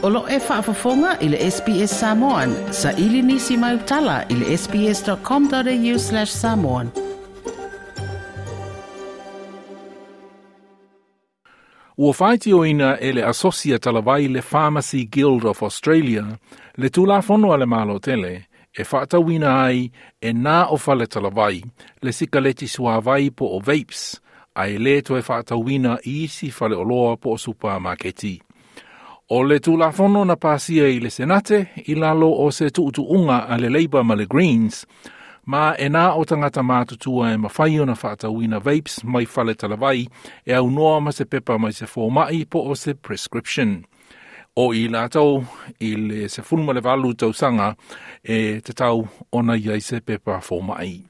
O lo o e faafofoga i le SBS Samoan. Saili nisi mau tala i le sbs.com.au/samoan. Ua faitioina e le Asosi Talavai le Pharmacy Guild of Australia le Tulafono a le Malo tele e faatauina ai e na o fale talavai le sikaleti suavai po o vapes, ae le toe faatauina i isi faleoloa po o supamaketi. O le Tulafono na pasia i le Senate i lalo o se tuutuuga a le Labor ma le Greens, ma e na o tagata matutua e mafai ona faatauina vapes mai fale talavai e aunoa ma se pepa mai se fomai po o se prescription. O i latou i le 18 tausaga e tatau ona i ai se pepa fomai.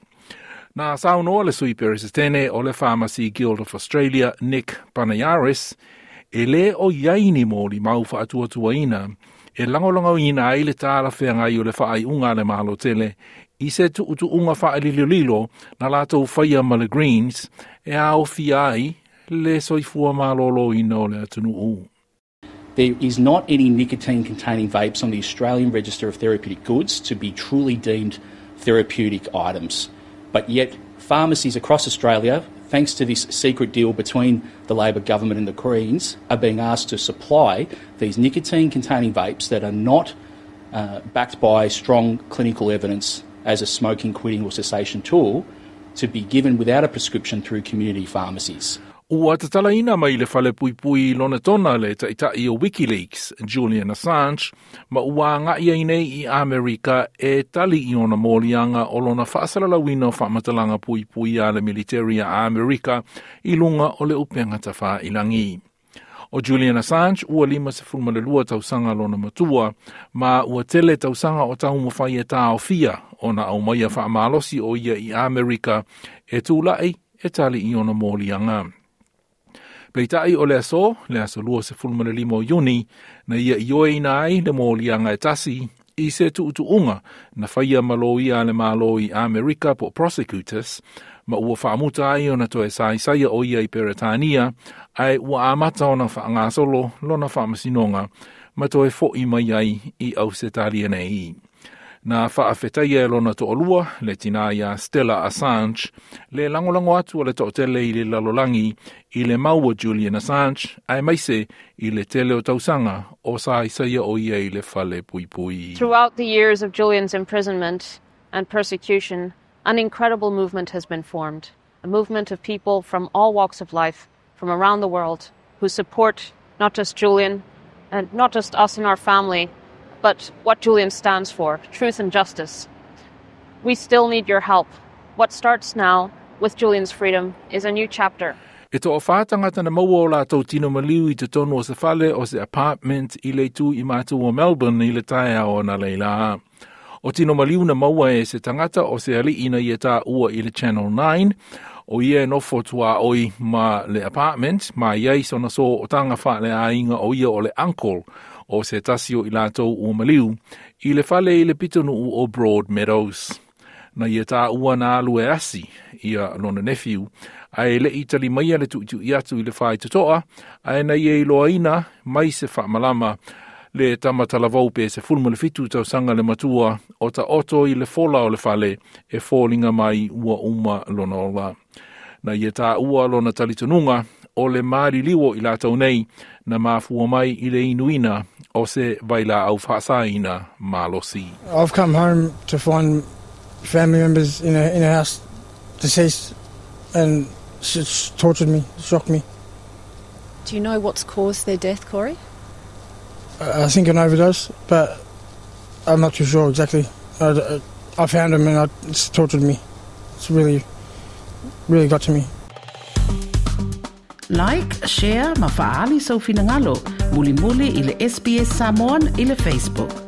Na saunoa le sui peresetene o le Pharmacy Guild of Australia, Nick Panayaris, e le o i ai ni molimau faatuatuaina e lagolagoina ai le talafeagai o le faaiuga a le Malo tele i se tuutuuga faalilolilo na latou faia ma le Greens e aofia ai le soifua malōlōina o le atunuu. There is not any nicotine-containing vapes on the Australian Register of Therapeutic Goods to be truly deemed therapeutic items. But yet, pharmacies across Australia, thanks to this secret deal between the Labor government and the Greens, are being asked to supply these nicotine-containing vapes that are not backed by strong clinical evidence as a smoking quitting or cessation tool to be given without a prescription through community pharmacies. Ua tatalaina mai le fale puipui Lonetona le taitai o WikiLeaks, Julian Assange, ma ua agai ai nei i Amerika e tali i ona moliaga o lona faasalalauina o faamatalaga puipui a le militeri a Amerika i luga o le upega tafailagi. O Julian Assange ua 52 tausaga lona matua, ma ua tele tausaga o taumafai e taofia ona aumaia faamalosi o ia i Amerika e tulai e tali i ona moliaga. Peitai o le aso, le aso 25 o Iuni, na ia ioeina ai le moliaga e tasi i se tuutuuga na faia ma loia a le Malo i Amerika po prosecutors, ma ua faamuta ai ona toe saisaia o ia i Peretania, ae ua amata ona faagasolo lona faamasinoga ma toe fo'i mai ai i Ausetalia nei. Na faafetaia e lona toalua, le tinā ia Stella Assange, le lagolago atu a le toatele i le lalolagi i le mau a Julian Assange, aemaise i le tele o tausaga o saisaia o ia i le fale puipui. Throughout the years of Julian's imprisonment and persecution, an incredible movement has been formed, a movement of people from all walks of life, from around the world, who support not just Julian and not just us and our family, but what Julian stands for, truth and justice. We still need your help. What starts now with Julian's freedom is a new chapter. E toawhā tagata na maua o latou tino maliu i totonu o se fale o se apartment i le itu i matu o Melbourne i le taeao analeila. O tino maliu na maua e se tagata o se ali'i na ia taua i le Channel 9, o ia e nofo tuaoi ma le apartment, ma i ai sona sootaga faaleaiga o ia o le uncle o se tasi o i latou ua maliu, i le fale i le pitonuu o Broadmeadows. Na ia taua na alu e asi ia lona nephew, ae le'i tali maia le tuitui atu i le faitotoa, ae na ia iloaina mai se faamalama le tama talavou pe 17 tausaga le matua o taoto i le fola o le fale e foliga mai ua uma lona ola. Na ia taua lona talitonuga o le maliliu o i latou nei na mafua mai i le inuina o se vailaau faasaina malosi. I've come home to find family members in a house deceased, and it's tortured me, shocked me. Do you know what's caused their death, Corey? I think an overdose, but I'm not too sure exactly. I found him and it's tortured me. It's really, really got to me. Like, share ma faaali sou finagalo. Mulimuli i le SBS Samoan i le Facebook.